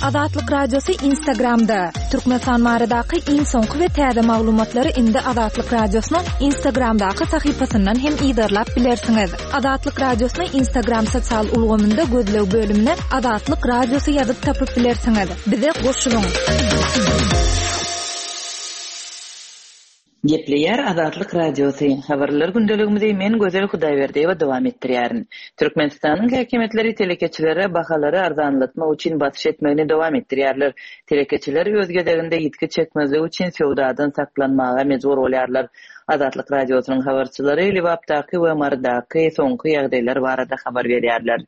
Azatlyk Radiosy Instagramda, Türkmenistan baradaky iň soňky we täze maglumatlary indi Azatlyk Radiosynyň Instagramdaky sahypasyndan hem yzarlap bilersiňiz. Azatlyk Radiosyny Instagram sosial ulgamynda gözleg bölümine Azatlyk Radiosy ýazyp tapyp bilersiňiz. Bize goşulyň! Gepleýär Azatlyk Radiosy, Habarlar gündeligimizi men Gözel Hudaýberdiýewa dowam etdirýärin. Türkmenistanyň häkimiýetleri telekeçilere bahalary arzanlatmak üçin basyş etmegini dowam etdirýärler. Telekeçiler öz gezeginde ýitgi çekmezlik üçin söwdadan saklanmaga mejbur bolýarlar. Azatlyk Radiosynyň habarçylary Lebapdaky we Marydaky soňky ýagdaýlar barada habar berýärler.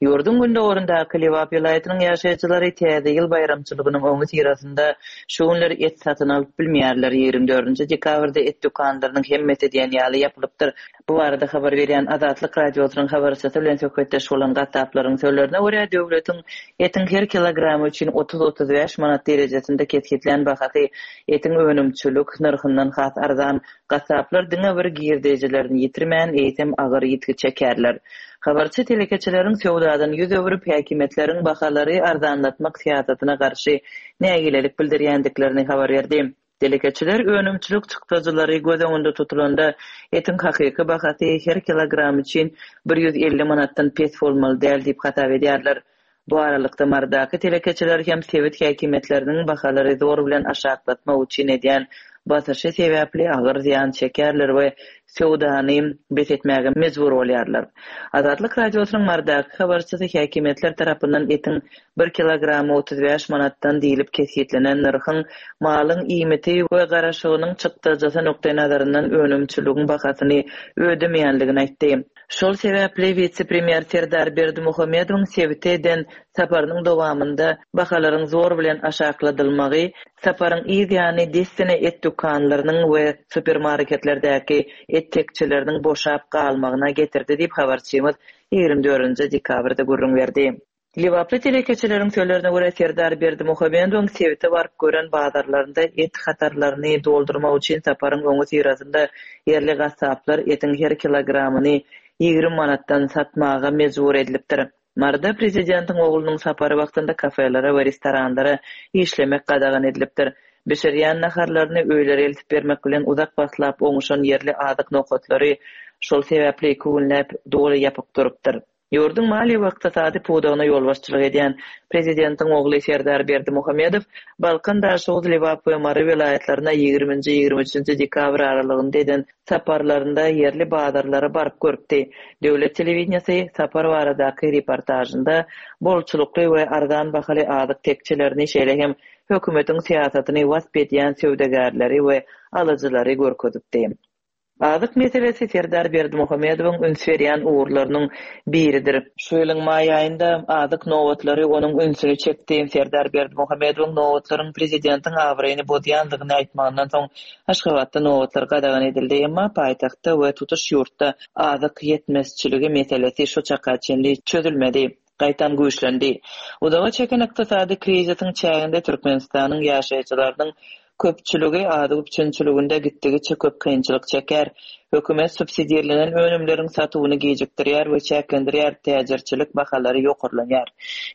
Ýurduň gündogaryndaky Lebap welaýatynyň ýaşaýjylary Täze ýyl baýramçylygynyň öňüsyrasynda şu günler et satyn alyp bilmeýärler. 24 dekabrda et dükanlarynyň hemmesi diýen ýaly ýapylypdyr. Bu barada habar berýän Azatlyk Radiosynyň habarçysy bilen söhbetdeş bolan gassaplaryň sözlerine görä, döwletiň etiň her kilogramy üçin otuz-otuz bäş manat derejesinde kesgitlän bahasy etiň önümçilik nyrhyndan has arzan. Gassaplar diňe bir girdejilerini ýitirmän, eýsem agyr ýitgi çekerler. Habarçy telekeçileriň söwdadan ýüz öwrüp, häkimiýetleriň bahalary arzanlatmak syýasatyna garşy nägilelik bildirýändiklerini habar berdi. Telekeçiler önümçilik çykdajylary göz öňünde tutulanda, etiň hakyky bahasy her kilogram üçin 150 manatdan pes bolmaly däl diýip hasap edýärler. Bu aralykda, Marydaky telekeçiler hem sebit häkimiýetleriniň bahalary zor bilen aşaklatmak üçin edýän basyşy sebäpli agyr zyýan çekýärler we söwdany bes etmäge mejbur bolýarlar. Azatlyk Radiosynyň Marydaky habarçysy häkimiýetler tarapyndan etiň bir kilogramy 35 manatdan diýlip kesgitlenen nyrhyň malyň iýmiti we garaşygynyň çykdajysy nukdaýnazaryndan önümçiligiň bahasyny ödemeýänligini aýtdy. Şol sebäpli wise-premýer Serdar Berdimuhamedowyň sebite eden saparynyň dowamynda bahalaryň zor bilen aşakladylmagy, saparyň yz ýany dessine et dükanlarynyň we supermarketlerdäki et tekjeleriniň boşap galmagyna getirdi diýip, habarçymyz 24 dekabrda gürrüň berdi. Lebaply telekeçileriň sözlerine görä, Serdar Berdimuhamedowyň sebite baryp gören bazarlarynda et hatarlaryny doldurmak üçin saparyň öňüsyrasynda ýerli gassaplar etiň her kilogramyny 20 manatdan satmaga mejbur edilipdir. Maryda prezidentiň oglunyň sapary wagtynda kafelere we restoranlara işlemek gadagan edilipdir. Bişirýän naharlaryny öýlere eltip bermek bilen uzak wagtlap oňuşan ýerli azyk nokatlary şol sebäpli iki günläp doly ýapyk durupdyr. Ýurduň maliýe we ykdysady pudagyna ýolbaşçylyk edýän prezidentiň ogly Serdar Berdimuhamedow Balkan, Daşoguz, Lebap we Mary welaýatlaryna ýigriminji, 23-nji dekabr aralygynda eden saparlarynda ýerli bazarlara baryp görüpdi. Döwlet telewideniýesi sapar baradaky reportažynda bolçulykly we arzan bahaly azyk tekjelerini, şeýle hem hökümetiň syýasatyny wasp edýän söwdagärleri we alyjylary görkezipdi. Azyk meselesi Serdar Berdimuhamedowyň üns berýän ugurlarynyň biridir. Şu ýylyň maý aýynda azyk nobatlary onuň ünsüni çekdi. Serdar Berdimuhamedowyň nobatlaryň prezidentiň abraýyny bozýandygyny aýtmagyndan soň Aşgabatda nobatlar gadagan edildi. Emma paýtagtda we tutuş ýurtda azyk ýetmezçiligi meselesi şu çaka çenli çözülmedi. Gaýtam güýçlendi. Uzaga çeken ykdysady krizisiň çäginde Türkmenistanyň ýaşaýjylarynyň köpçüligi azyk üpjünçiliginde gitdigiçe köp kynçylyk çekýär. Hökümet subsidirlenen önümleriň satuwyny gijikdirýär we çäklendirýär, täjirçilik bahalary ýokarlanýar.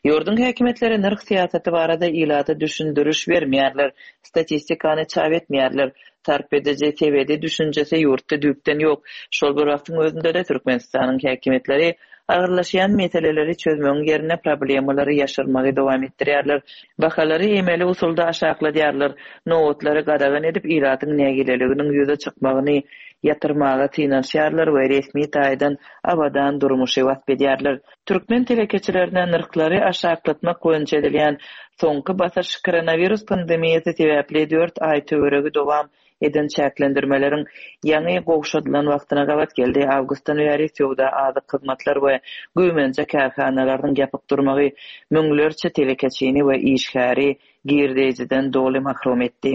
Ýurduň häkimiýetleri nyrh syýasaty barada ilata düşündiriş bermeýärler, statistikany çap etmeýärler. Sarp ediji sebedi düşünjesi ýurtda düýpden ýok. Şol bir wagtyň özünde-de Türkmenistanyň häkimiýetleri Agyrlaşýan meseleleri çözmegiň ýerine problemalary ýaşyrmagy dowam etdirýärler. Bahalary emeli usulda aşakladýarlar, nobatlary gadagan edip, ilatyň nägileliginiň ýüze çykmagyny ýatyrmaga synanyşýarlar we resmi taýdan abadan durmuşy wasp edýärler. Türkmen telekeçilerine nyrhlary aşaklatmak boýunça edilýän soňky basyş koronawirus pandemiýasy sebäpli dört aý töweregi dowam eden çäklendirmeleriň ýaňy gowşadylan wagtyna gabat geldi. Awgustdan bäri söwda, azyk, hyzmatlar we güýmenje kärhanalarynyň ýapyk durmagy müňlerçe telekeçini we işgäri girdeýjiden doly mahrum etdi.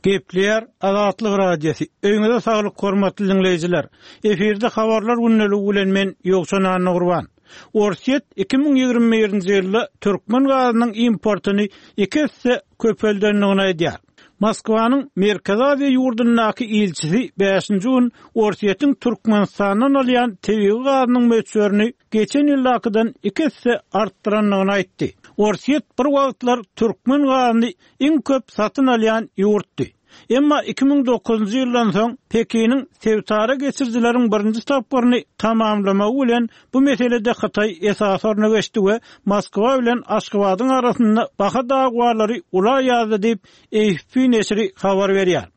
Gepleýär Azatlyk Radiosy, Öýüňize saglyk hormatly diňleýjiler! Efirde habarlar gündeligi bilen men Ýowşan Annagurban. Orsýet 2021-nji ýylda türkmen gazynyň importyny iki esse köpeldendigini aýdýar. Moskwanyň Merkezi Aziýa ýurdundaky ilçisi bäşinji gün Orsýetiň Türkmenistandan alýan tebigy gazynyň möçberini geçen ýyldakydan iki esse artdyrandygyny aýtdy. Orsýet bir wagtlar türkmen gazyny iň köp satyn alýan ýurtdy. Emma 2009-njy ýyldan soň Pekiniň sebitara geçirijileriň birinji tapgyryny tamamlamagy bilen bu meselede Hytaý esasy orna geçdi we Moskwa bilen Aşgabadyň arasynda baha dawalary ula ýazdy diýip, AFP neşiri habar berýär.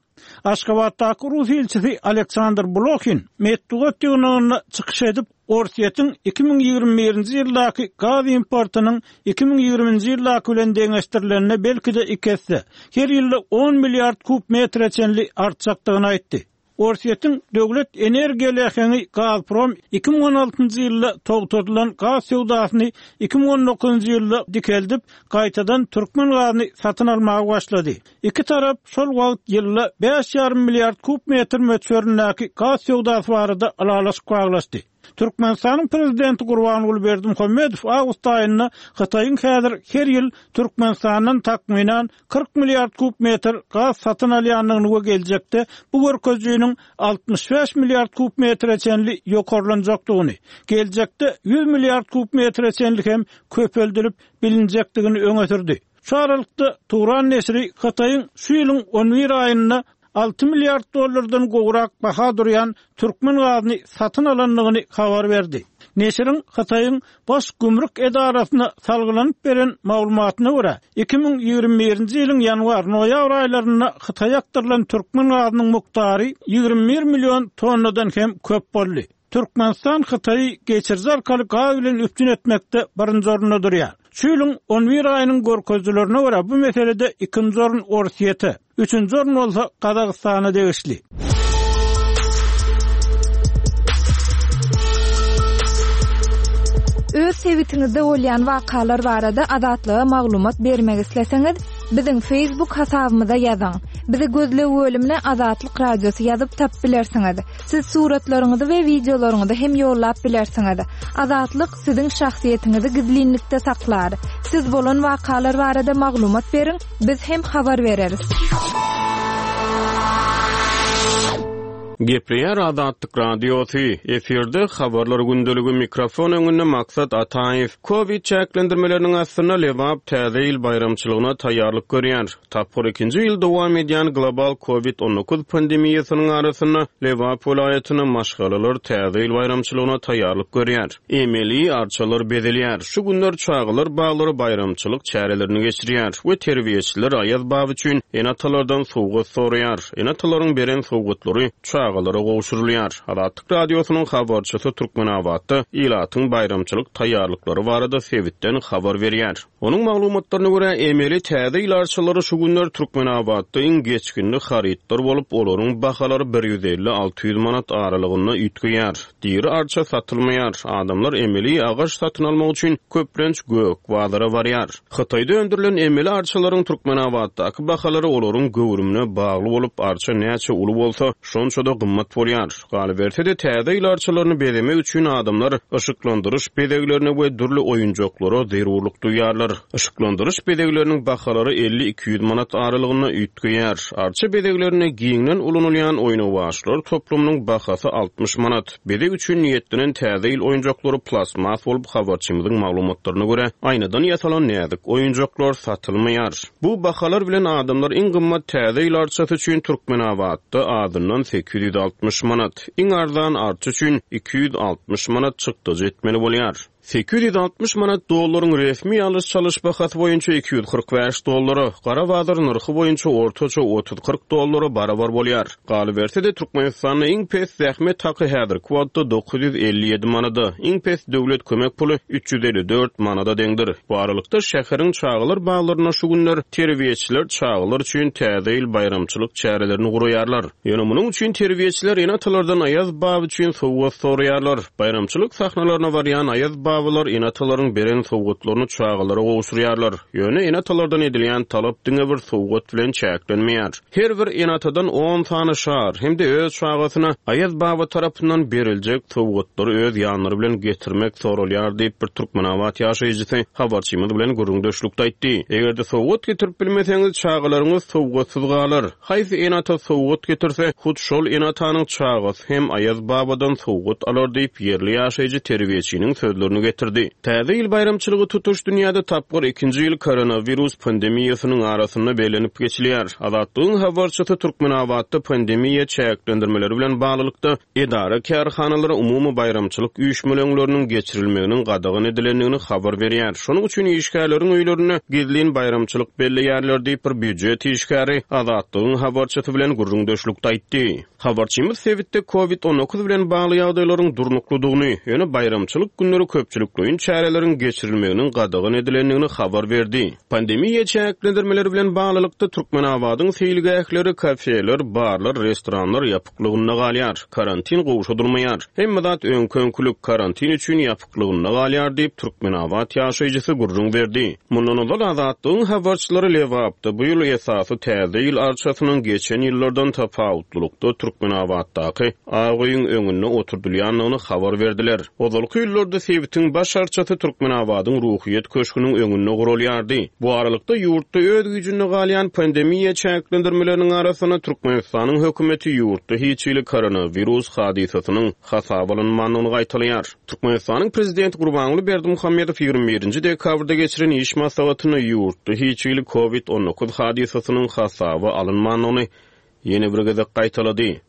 Aşgabatdaky rus ilçisi Aleksandr Blohin metbugat ýygnagynda çykyş edip, Orsýetiň 2021-nji ýyldaky gaz importynyň 2020-nji ýyldaky bilen deňeşdirilende belki-de iki esse, her ýylda on milliard kub metre çenli artjakdygyny aýtdy. Orsýetiň döwlet energiýa läheňi Gazprom 2016-njy ýylda togtadylan gaz söwdasyny 2019-njy ýylda dikeldip, gaýtadan türkmen gazyny satyn almaga başlady. Iki tarap şol wagt ýylda bäş ýarym milliard kub metr möçberindäki gaz söwdasy barada ylalaşyk baglaşdy. Türkmenistanyň Prezidenti Gurbanguly Berdimuhamedow awgust aýynda Hytaýyň häzir her ýyl Türkmenistandan takmynan 40 milliard kub metr gaz satyn alýandygyny we geljekde bu görkezijiniň 65 milliard kub metre çenli ýokarlanjakdygyny, geljekde 100 milliard kub metre çenli hem köpeldilip bilinjekdigini öňe sürdi. Şu aralykda, Turan neşiri Hytaýyň şu ýylyň on bir aýynda alty milliard dollardan gowrak baha durýan türkmen gazyny satyn alandygyny habar berdi. Neşiriň Hytaýyň Baş gümrük edarasyna salgylanyp beren maglumatyna görä, 2021-nji ýylyň ýanwar-noýabr aýlarynda Hytaýa akdyrylan türkmen gazynyň mukdary 21 million tonnadan hem köp boldy. Türkmenistan Hytaýy geçiriji arkaly gaz bilen üpjün etmekde birinji orunda durýar. Şu ýylyň on bir aýynyň görkezijilerine görä, bu meselede ikinji orun Orsýete, üçünji orun bolsa Gazagystana degişli. Öz sebitiňizde bolýan wakalar barada Azatlyga maglumat bermek isleseňiz, biziň Facebook hasabymyza ýazyň. Bizi gözleg bölümine Azatlyk Radiosy ýazyp tapyp bilersiňiz. Siz suratlaryňyzy we wideolaryňyzy hem ýollap bilersiňiz. Azatlyk siziň şahsyýetiňizi gizlinlikde saklar. Siz bolan wakalar barada maglumat beriň, biz hem habar bereris. Gepleýär Azatlyk Radiosy, efirde Habarlar gündeligi, mikrofon öňünde Maksat Ataýew. Kowid çäklendirmeleriniň astynda Lebap Täze ýyl baýramçylygyna taýýarlyk görýär. Tapgyr ikinji ýyl dowam edýän global Covid 19 pandemiýasynyň arasynda Lebap welaýatynda maşgalalar Täze ýyl baýramçylygyna taýýarlyk görýär. Emeli arçalar bezelýär. Şu günler çagalar baglary baýramçylyk çärelerini geçirýär we terbiýeçiler Aýaz baba üçin ene-atalardan sowgat soraýar. Ene-atalaryň beren sowgatlary çagalara gowşurylýar. Azatlyk Radiosynyň habarçysy Türkmenabatda ilatyň baýramçylyk taýýarlyklary barada sebitden habar berýär. Onuň maglumatlaryna görä, emeli Täze ýyl arçalary şu günler Türkmenabatda iň geçginli harytlar bolup, olaryň bahalary bir 150, 600 manat aralygynda üýtgeýär. Diri arça satylmaýar. Adamlar emeli agaç satyn almak üçin köplenç gök bazara barýar. Hytaýda öndürilen emeli arçalaryň Türkmenabatdaky bahalary olaryň göwrümine bagly bolup, arça näçe uly bolsa, şonça-da gymmat bolýar. Galyberse-de, Täze ýyl arçalaryny bezemek üçin adamlar yşyklandyryş bezeglerine we dürli oýunjaklara zerurlyk duýýarlar. Yşyklandyryş bezegleriniň bahalary 50-200 manat aralygynda üýtgeýär. Arça bezeglerinde giňden ulanylýan oýnawaçlar toplumynyň bahasy 60 manat. Bezeg üçin niýetlenen Täze ýyl oýunjaklary plastmas bolup, habarçymyzyň maglumatlaryna görä, aýnadan ýasalan näzik oýunjaklar satylmaýar. Bu bahalar bilen adamlar iň gymmat Täze ýyl arçasy üçin Türkmenabatda azyndan 860 manat, iň arzan arça üçin 260 manat çykdajy etmeli bolýar. 860 manat dollaryň resmi alyş-çalyş bahasy boýunça 245 dollara, gara bazar nyrhy boýunça ortaça otuz-kyrk dollara barabar bolýar. Galyberse-de, Türkmenistanda iň pes zähmet haky häzirki wagtda 957 manada, iň pes döwlet kömek puly 354 manada deňdir. Bu aralykda, şäheriň çagalar baglarynda şu günler terbiýeçiler çagalar üçin Täze ýyl baýramçylyk çärelerini guraýarlar. Ýöne munuň üçin terbiýeçiler ene-atalardan Aýaz baba üçin sowgat soraýarlar. Baýramçylyk sahnalaryna barýan Aýaz baba. babalar ene-atalaryň beren sowgatlaryny çagalara gowşurýarlar. Ýöne ene-atalardan edilýän talap diňe bir sowgat bilen çäklenmeýär. Her bir ene-atadan on sany şar hem-de öz çagasyna Aýaz baba tarapyndan beriljek sowgatlary öz ýanlary bilen getirmek soralýar diýip, bir türkmenabat ýaşaýjysy habarçymyz bilen gürrüňdeşlikde aýtdy. Eger-de sowgat getirip bilmeseňiz, çagalaryňyz sowgatsyz galar. Haýsy ene-ata sowgat getirse, hut şol ene-atanyň çagasy hem Aýaz babadan sowgat alar diýip, ýerli ýaşaýjy terbiýeçiniň sözlerini getirdi. Täze ýyl baýramçylygy tutuş dünýäde tapgyr ikinji ýyl koronawirus pandemiýasynyň arasynda bellenip geçilýär. Azatlygyň habarçysy Türkmenabatda pandemiýa çäklendirmeleri bilen baglylykda, edara-kärhanalara umumy baýramçylyk üýşmeleňleriniň geçirilmeginiň gadagan edilendigini habar berýär. Şonuň üçin işgärleriň öýlerinde gizlin baýramçylyk belleýärler diýip, bir býujet işgäri Azatlygyň habarçysy bilen gürrüňdeşlikde aýtdy. Habarçymyz sebitde Covid 19 bilen bagly ýagdaýlaryň durnuklydygyny, ýöne baýramçylyk günleri köpçülikleýin çäreleriň geçirilmeginiň gadagan edilendigini habar berdi. Pandemiýa çäklendirmeleri bilen baglylykda, Türkmenabadyň seýilgähleri, kafeler, barlar, restoranlar ýapyklygynda galýar. Karantin gowşadylmaýar. Hemme zat öňki-öňkülik, karantin üçin ýapyklygynda galýar diýip, türkmenabat ýaşaýjysy gürrüň berdi. Mundan ozal Azatlygyň habarçylary Lebapda bu ýyl esasy Täze ýyl arçasynyň geçen ýyllardan tapawutlylykda Türkmenabatdaky Ak öýüň öňünde oturdylýandygyny habar berdiler. Ozalky ýyllarda sebitiň baş arçasy Türkmenabadyň Ruhyýet köşgüniň öňünde guralýardy. Bu aralykda, ýurtda öz güýjünde galýan pandemiýa çäklendirmeleriniň arasynda Türkmenistanyň hökümeti ýurtda hiç hili koronawirus hadysasynyň hasaba alynmandygyny gaýtalaýar. Türkmenistanyň Prezidenti Gurbanguly Berdimuhamedow 21 nji dekabrda geçiren iş maslahatynda ýurtda hiç hili Covid 19 hadysasynyň hasaba alynmandygyny ýene bir gezek gaýtalady.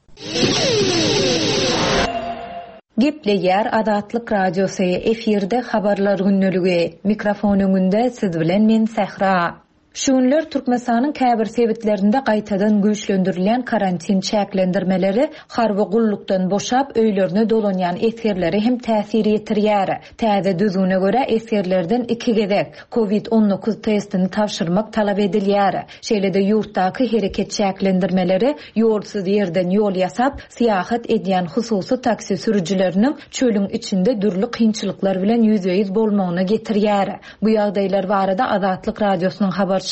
Gepleýär Azatlyk Radiosy, efirde Habarlar gündeligi. Mikrofon öňünde siz bilen men Sähra. Şu günler Türkmenistanyň käbir sebitlerinde gaýtadan güýçlendirilýän karantin çäklendirmeleri harby gullukdan boşap, öýlerine dolanýan esgerlere hem täsir ýetirýär. Täze düzgüne görä, esgerlerden iki gezek, Covid 19 testini tabşyrmak talap edilýär. Şeýle-de ýurtdaky hereket çäklendirmeleri ýolsuz ýerden ýol ýasap, syýahat edýän hususy taksi sürüjileriniň çölüň içinde dürli kynçylyklar bilen ýüzbe-ýüz bolmagyna getirýär. Bu ýagdaýlar barada Azatlyk Radiosynyň habarçylary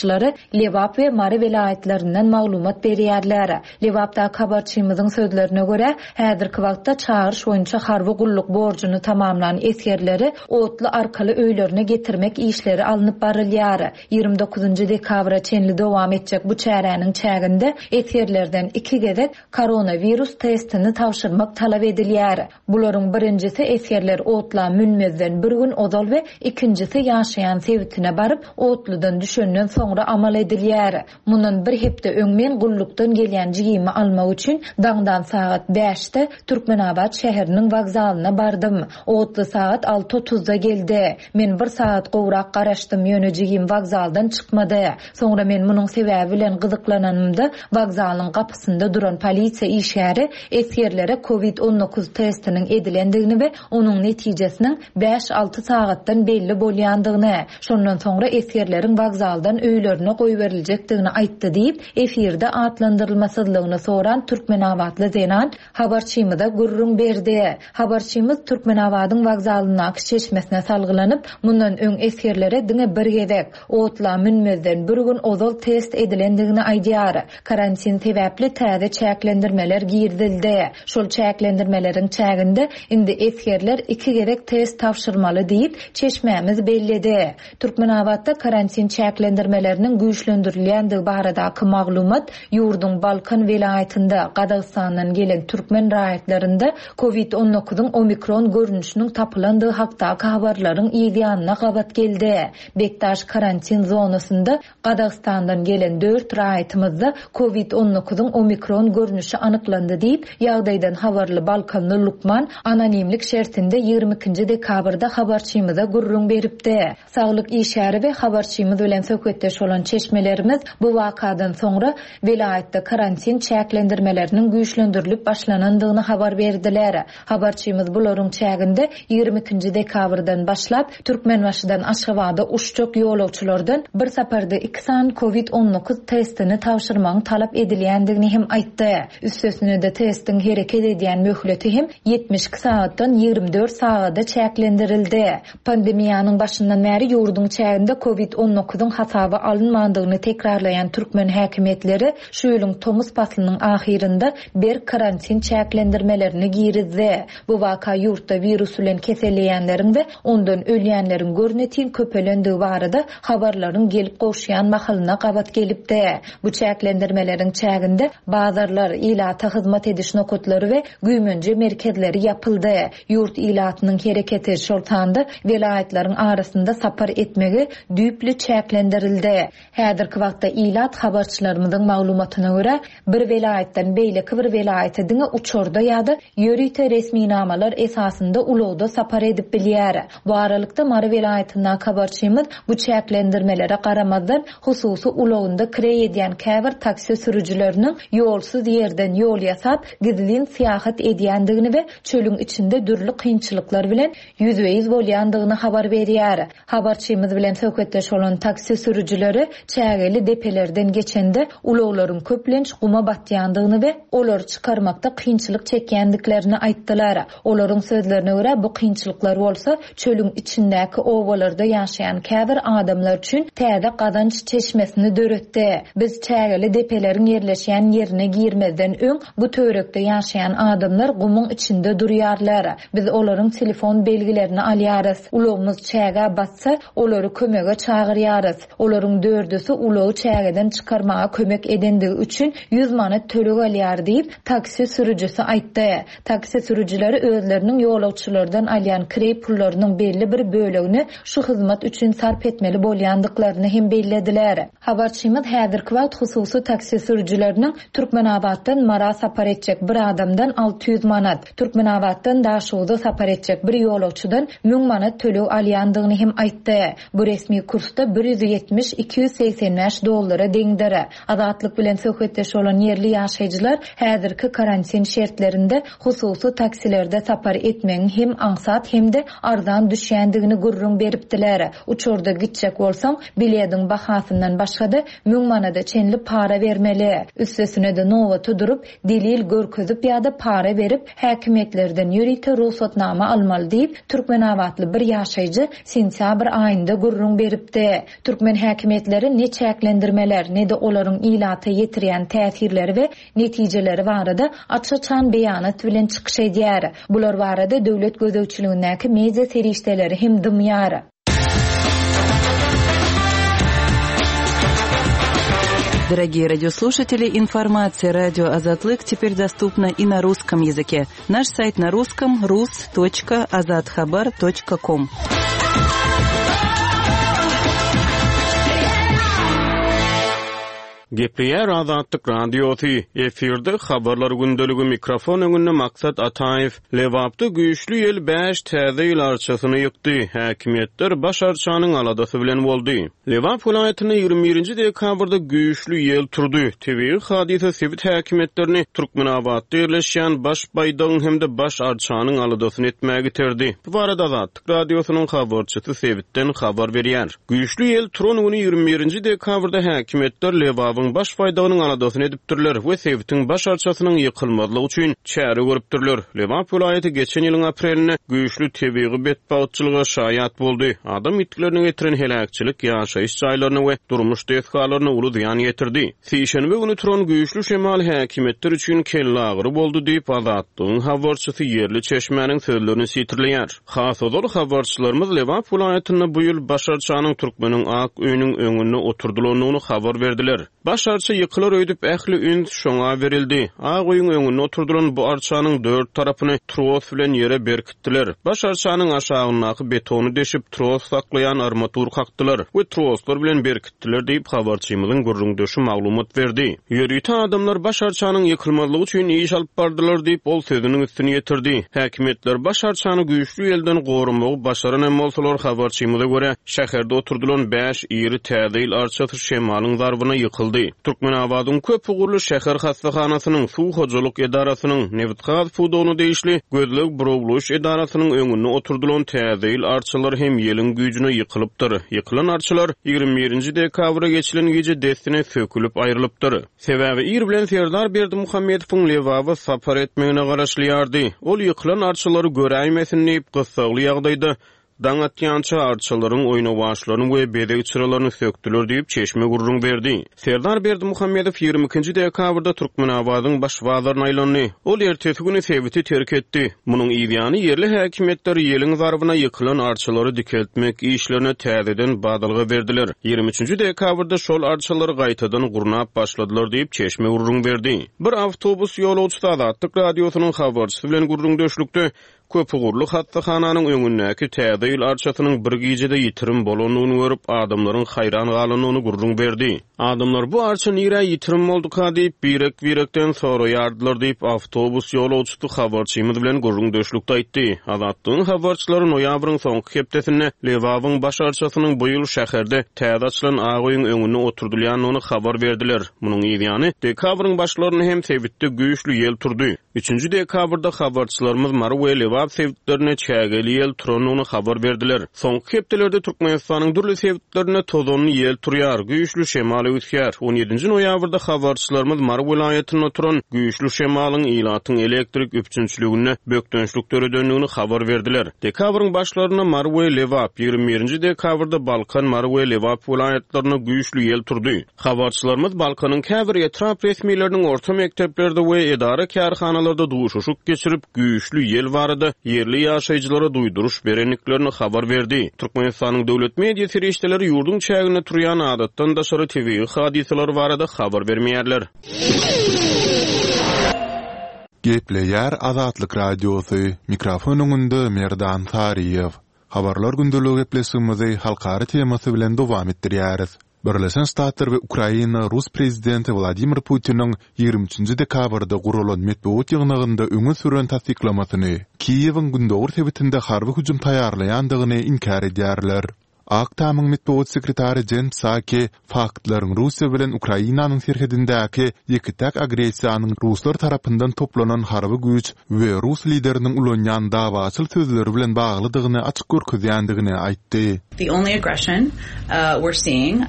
Lebap we Mary welaýatlaryndan maglumat berýärler. Lebapdaky habarçymyzyň sözlerine görä, häzirki wagtda çagyryş boýunça harby gulluk borjuny tamamlan esgerleri otly arkaly öýlerine getirmek işleri alnyp barylýar. 29 dekabra çenli dowam etjek bu çäräniň çäginde esgerlerden iki gezek koronawirus testini tabşyrmak talap edilýär. Bularyň birinjisi esgerler otla münmezden bir gün ozal we ikinjisi ýaşaýan sebitine baryp, otludan düşenden soňra amal edilýär. Mundan bir hepde öň men gullukdan gelýän jigimi almak üçin daňdan sagat bäşde Türkmenabat şäheriniň wokzalyna bardym. Otly sagat alty otuzda geldi. Men bir sagat gowrak garaşdym, ýöne jigim wokzaldan çykmady. Soňra men munuň sebäbi bilen gyzyklananymda, wokzalyň gapysynda duran polisiýa işgäri esgerlere covid 19 testiniň edilendigini we onuň netijesiniň bäş-alty sagatdan belli bolýandygyny, şondan soňra esgerleriň wokzaldan öýlerine goýberiljekdigini aýtdy diýip, efirde atlandyrylmasyzlygyny soran türkmenabatly zenan habarçymyza gürrüň berdi. Habarçymyz Türkmenabadyň wokzalyndaky çeşmesine salgylanyp, mundan öň esgerlere diňe bir gezek, otla münmezden bir gün ozal test edilendigini aýdýar. Karantin sebäpli täze çäklendirmeler girizildi. Şol çäklendirmeleriň çäginde indi esgerler iki gezek test tabşyrmaly diýip, çeşmämiz belledi. Türkmenabatda karantin çäklendirmeleriniň güýçlendirilýändigi baradaky maglumat ýurduň Balkan welaýatynda Gazagystandan gelen türkmen raýatlarynda Covid 19-yň omikron görnüşiniň tapylandygy hakdaky habarlaryň yzýanyna gabat geldi. Bekdaş karantin zonasynda Gazagystandan gelen dört raýatymyzda Covid 19-yň omikron görnüşi anyklandy diýip, ýagdaýdan habarly balkanly lukman anonimlik şertinde 22-nji dekabrda habarçymyza gürrüň beripdi. Saglyk işgäri we habarçymyz bilen söhbetdeş. söhbetdeş bolan çeşmelerimiz bu wakadan soňra welaýatda karantin çäklendirmeleriniň güýçlendirilip başlanandygyny habar berdiler. Habarçymyz bularyň çäginde 22-nji dekabrdan başlap, Türkmenbaşydan Aşgabada uçjak ýolagçylardan bir saparda iki sany covid 19 testini tabşyrmagyň talap edilýändigini hem aýtdy. Üstesine-de testiň hereket edýän möhleti hem 72 sagatdan 24 sagada çäklendirildi. Pandemiýanyň başyndan bäri ýurduň çäginde covid 19-yň hasaba alynmandygyny tekrarlaýan türkmen häkimiýetleri şu ýylyň tomus paslynyň ahyrynda berk karantin çäklendirmelerini girizdi. Bu waka ýurtda wirus bilen keselleýänleriň we ondan ölýänleriň görnetin köpelendigi barada habarlaryň gelip gowuşýan mahalyna gabat gelipdi. Bu çäklendirmeleriň çäginde bazarlar, ilata hyzmat ediş nokatlary we güýmenje merkezleri ýapyldy. Ýurt ilatynyň hereketi, şol sanda welaýatlaryň arasynda sapar etmegi düýpli çäklendirildi. Häzirki wagtda ilat habarçylarymyzyň maglumatyna görä, bir welaýatdan beýleki bir welaýata diňe uçarda ýa-da ýörite resminamalar esasynda ulagda sapar edip bilýär. Bu aralykda, Mary welaýatyndaky habarçymyz bu çäklendirmelere garamazdan, hususy ulagynda kireý edýän käbir taksi sürüjileriniň ýolsuz ýerden ýol ýasap, gizlin syýahat edýändigini we çölüň içinde dürli kynçylyklar bilen ýüzbe-ýüz bolýandygyny habar berýär. Habarçymyz bilen söhbetdeş bolan taksi sürüjileri çägeli depelerden geçende ulaglaryň köplenç guma batýandygyny we olary çykarmakda kynçylyk çekýändiklerini aýtdylar. Olaryň sözlerine görä, bu kynçylyklar bolsa çölüň içindäki obalarda ýaşaýan käbir adamlar üçin täze gazanç çeşmesini döretdi. Biz çägeli depeleriň ýerleşýän ýerine girmezden öň bu töwerekde ýaşaýan adamlar gumuň içinde durýarlar. Biz olaryň telefon belgilerini alýarys. Ulagymyz çägä batsa, olary kömege çagyrýarys. Olaryň dördüsi ulagy çägeden çykarmaga kömek edendigi üçin 100 manat töleg alýar diýip, taksi sürüjisi aýtdy. Taksi sürüjileri özleriniň ýolagçylardan alýan kireý pullarynyň belli bir bölegini şu hyzmat üçin sarp etmeli bolýandyklaryny hem bellediler. Habarçymyz häzirki wagt hususy taksi sürüjileriniň Türkmenabatdan Mara sapar etjek bir adamdan 600 manat, Türkmenabatdan Daşoguza sapar etjek bir ýolagçydan 1000 manat töleg alýandygyny hem aýtdy. Bu resmi kursda 170, 285 dollara deňdir. Azatlyk bilen söhbetdeş bolan ýerli ýaşaýjylar häzirki karantin şertlerinde hususy taksilerde sapar etmegiň hem aňsat hem-de arzan düşýändigini gürrüň beripdiler. Uçarda gitjek bolsaň, bilediň bahasyndan başga-da müň manada çenli para bermeli. Üstesine-de nobata durup, delil görkezip ýa-da para berip, häkimiýetlerden ýörite rugsatnama almaly diýip, türkmenabatly bir ýaşaýjy sentýabr aýynda gürrüň beripdi. Türkmen häkimiýetleri ne çäklendirmeler, ne-de olaryň ilata ýetirýän täsirleri we netijeleri barada aç-açan beýanat bilen çykyş edýär. Bular barada döwlet gözegçiligindäki media serişdeleri hem dymýar. Дорогие радиослушатели, информация радио Азатлык теперь доступна и на русском языке. Наш сайт на русском rus.azathabar.com. Gepleýär Azatlyk Radiosy, efirde Habarlar gündeligi mikrofon öňünde Maksat Ataýew. Lebapda güýçli ýel bäş täze ýyl arçasyny ýykdy, häkimiýetler baş arçanyň aladasy bilen boldy. Lebap welaýatynda 21 nji dekabrda güýçli ýel turdy. Tebigy hadysa sebit häkimiýetlerini Türkmenabatda ýerleşýän baş baýdagyň hem-de baş arçanyň aladasyny etmäge iterdi. Bu barada Azatlyk Radiosynyň habarçysy sebitden habar berýär. Güýçli ýel turan güni 21 nji dekabrda häkimiýetler Lebabyň baş baýdagynyň aladasyny edipdirler we sebitiň baş arçasynyň ýykylmazlygy üçin çäre görüpdirler. Lebap welaýaty geçen ýylyň aprelinde güýçli tebigy betbagtçylyga şaýat boldy. Adam ýitgilerine getiren heläkçilik ýaşaýyş jaýlaryna we durmuş desgalaryna uly zyýan ýetirdi. Sişenbe güni turan güýçli şemal häkimiýetler üçin kellagyry boldy diýip, Azatlygyň habarçysy ýerli çeşmäniň sözlerini sitirleýär. Has ozal habarçylarymyz Lebap welaýatynda bu ýyl baş arçanyň Türkmeniň ak öýüniň öňünde oturdylandygyny habar berdiler. Baş arça ýykylar öýdüp ähli üns şoňa berildi. Ak öýüň öňünde oturdylan bu arçanyň dört tarapyny tros bilen ýere berkitdiler. Baş arçanyň aşagyndaky betony deşip, tros saklaýan armatur kakdylar we troslar bilen berkitdiler diýip, habarçymyzyň gürrüňdeşi maglumat berdi. Ýörite adamlar baş arçanyň ýykylmazlygy üçin iş alyp bardylar diýip, ol sözüniň üstüni ýetirdi. Häkimiýetler baş arçany güýçli ýelden goramagy başaran hem bolsalar, habarçymyza görä, şäherde oturdylan bäş iri Täze ýyl arçasy şemalyň zarbyna ýykyldy. Türkmenabadyň köp ugurly şäher hassahanasynyň, suw hojalyk edarasynyň, nebitgaz pudagyna degişli gözleg-burawlaýyş edarasynyň öňünde oturdylan Täze ýyl arçalary hem ýeliň güýjüne ýykylypdyr. Ýykylan arçalar 21 nji dekabra geçilen gije dessine sökülip aýrylypdyr. Sebäbi ir bilen Serdar Berdimuhamedowyň Lebaba sapar etmegine garaşylýardy. Ol ýykylan arçalary göräýmesin diýip, gyssagly ýagdaýda Daň atýança arçalaryň oýnawaçlaryny we bezeg çyralaryny sökdüler diýip, çeşme gürrüň berdi. Serdar Berdimuhamedow 22 nji dekabrda Türkmenabadyň baş bazaryna aýlandy. Ol ertesi güni sebiti terk etdi. Munuň yzýany ýerli häkimiýetler ýeliň zarbyna ýykylan arçalary dikeltmek işlerine täzeden badalga berdiler. 23 nji dekabrda şol arçalary gaýtadan gurnap başladylar diýip, çeşme gürrüň berdi. Bir awtobus ýolagçysy Azatlyk Radiosynyň habarçysy bilen gürrüňdeşlikde Köpugurly hassahananyň öňündäki Täze ýyl arçasynyň bir gijede ýitirim bolandygyny görüp, adamlaryň haýran galandygyny gürrüň berdi. Adamlar bu arça nirä ýitirim bolduka diýip, birek-birekden soraýardylar diýip, awtobus ýolagçysy habarçymyz bilen gürrüňdeşlikde aýtdy. Azatlygyň habarçylary noýabryň soňky hepdesinde Lebabyň baş arçasynyň bu ýyl şäherde täze açylan ak öýüň öňünde oturdylýandygyny habar berdiler. Munuň yzýany, dekabryň başlarynda hem sebitde güýçli ýel turdy. Üçünji dekabrda habarçylarymyz Mary we Lebap sebitlerinde çägeli ýel turandygyny habar berdiler. Soňky hepdelerde Türkmenistanyň dürli sebitlerinde tozanly ýel turýar, güýçli şemal öwüsýär. On ýedinji noýabrda habarçylarymyz Mary welaýatynda turan güýçli şemalyň ilatyň elektrik üpjünçiliginde bökdençlik döredendigini habar berdiler. Dekabryň başlarynda Mary we Lebap, 21 nji dekabrda Balkan, Mary we Lebap welaýatlarynda güýçli ýel turdy. Habarçylarymyz Balkanyň käbir etrap resmileriniň orta mekdeplerde we edara-kärhanalarda duşuşyk geçirip, güýçli ýel barada ýerli ýaşaýjylara duýduryş berendiklerini habar berdi. Türkmenistanyň döwlet media serişdeleri ýurduň çäginde turýan adatdan daşary tebigy hadysalar barada habar bermeýärler. Gepleýär Azatlyk Radiosy, mikrofon öňünde Merdan Saryýew. Habarlar gündeligi gepleşigimizi halkara temasy bilen dowam etdirýäris. Birleşen Ştatlar we Ukraina rus prezidenti Wladimir Putiniň 23 nji dekabrda guralan metbugat ýygnagynda öňe süren tassyklamasyny, Kiýewiň gündogar sebitinde harby hüjüm taýýarlaýandygyny inkär edýärler. Ak Tamyň metbugat sekretary Jen Psaki faktlaryň Russiýa bilen Ukrainanyň serhedindäki ýeke-täk agressiýanyň ruslar tarapyndan toplanan harby güýç we rus lideriniň ulanýan dawaçyl sözleri bilen baglydygyny açyk görkezýändigini aýtdy. The only aggression we're seeing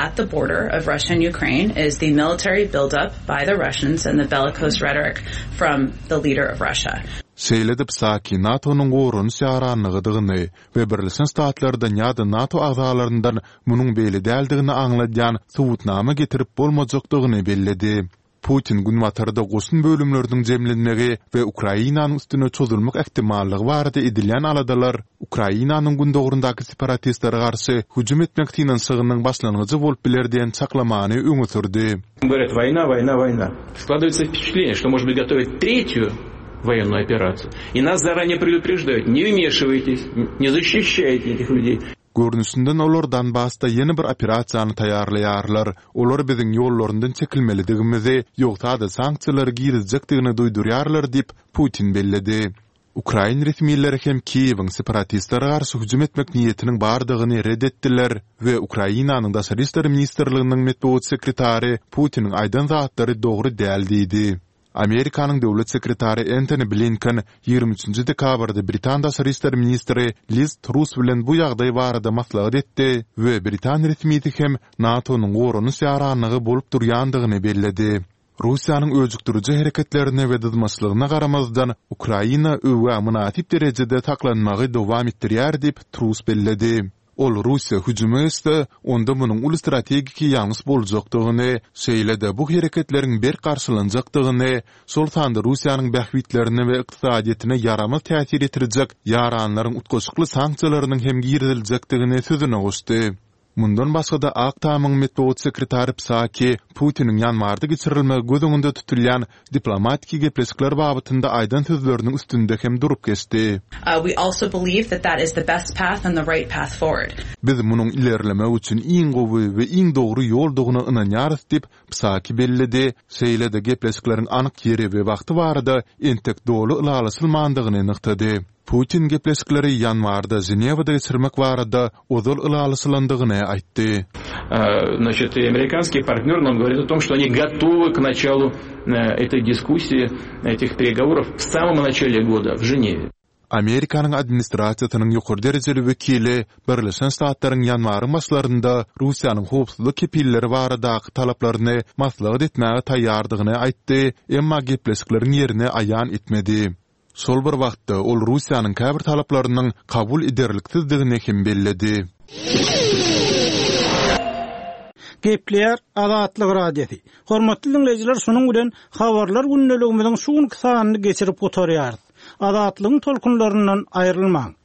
at the border of Russia and Ukraine is the military build-up by the Russians and the bellicose rhetoric from the leader of Russia. Şeýle-de Psaki NATO-nyň goranyş ýaranlygydygyny we Birleşen Ştatlardan ýa-da NATO agzalaryndan munuň beýle däldigini aňladýan subutnama getirip bolmajakdygyny belledi. Putin Günbatarda goşun bölümleriniň jemlenmegi we Ukrainanyň üstüne çozulmak ähtimallygy barada edilýän aladalar Ukrainanyň gündogaryndaky separatistlere garşy hüjüm etmek synanyşygynyň başlangyjy bolup biler diýen çaklamany öňe sürdi. Goworýat, woýna, woýna, woýna. Skladywается wpeçatleniýe, şto может быть gotowyat tretýu woýennuýu operasiýu. I nas zaranee predupreždaýut, ne wmeşiwaýtes, ne zaşişaýte etih lýudey. Görnüşinden olar Donbasda ýene bir operasiýany taýýarlaýarlar. Olar biziň ýollaryndan çekilmelidigimizi, ýogsa-da sanksiýalary girizjekdigini duýdurýarlar diýip, Putin belledi. Ukrain resmileri hem Kiýewiň separatistlere garşy hüjüm etmek niýetiniň bardygyny ret etdiler we Ukrainanyň Daşary işler ministrliginiň metbugat sekretary Putiniň aýdan zatlary dogry däl diýdi. Amerikanyň döwlet sekretary Entoni Blinken 23 nji dekabrda britan daşary işler ministri Liz Truss bilen bu ýagdaý barada maslahat etdi we britan resmisi hem NATO-nyň goranyş ýaranlygy bolup durýandygyny belledi. Russiýanyň öjükdiriji hereketlerine we dyzmaçlygyna garamazdan, Ukraina öwgä mynasyp derejede saklanmagy dowam etdirýär diýip, Truss belledi. Ol Russiýa hüjüme geçse, onda munuň uly strategiki ýalňyş boljakdygyny, şeýle-de bu hereketleriň berk garşylanjakdygyny, şol sanda Russiýanyň bähbitlerine we ykdysadyýetine ýaramaz täsir ýetirjek ýaranlaryň utgaşykly sanksiýalarynyň hem giriziljekdigini sözüne goşdy. Mundan başga-da, Ak Tamyň metbugat sekretary Psaki Putiniň ýanwarda geçirilmegi göz öňünde tutulýan diplomatiki gepleşikler babatynda aýdan sözleriniň üstünde hem durup geçdi. We also believe that that is the best path and the right path forward. Biz munuň ilerlemek üçin iň gowy we iň dogry ýoldugyna ynanýarys diýip, Psaki belledi, şeýle-de gepleşikleriň anyk ýeri we wagty barada entek doly ylalaşylmandygyny nygtady. Putin gepleşikleri ýanwarda Ženewada geçirmek barada ozal ylalaşylandygyny aýtdy. Значит, и американские партнеры нам говорят о том, что они готовы к началу этой дискуссии, этих переговоров в самом начале года в Женеве. Amerikanyň administrasiýasynyň ýokary derejeli wekili Birleşen Ştatlaryň ýanwaryň başlarynda Russiýanyň howpsuzlyk kepilleri baradaky talaplaryny maslahat etmäge taýýardygyny aýtdy, emma gepleşikleriň ýerini aýan etmedi. Şol bir wagtda, ol Russiýanyň käbir talaplarynyň kabul ederliksizdigini hem belledi. Gepleýär Azatlyk Radiosy. Hormatly diňleýjiler, şunuň bilen Habarlar gündeligimiziň şu günki sanyny geçirip gutarýarys. Azatlygyň tolkunlaryndan aýrylmaň!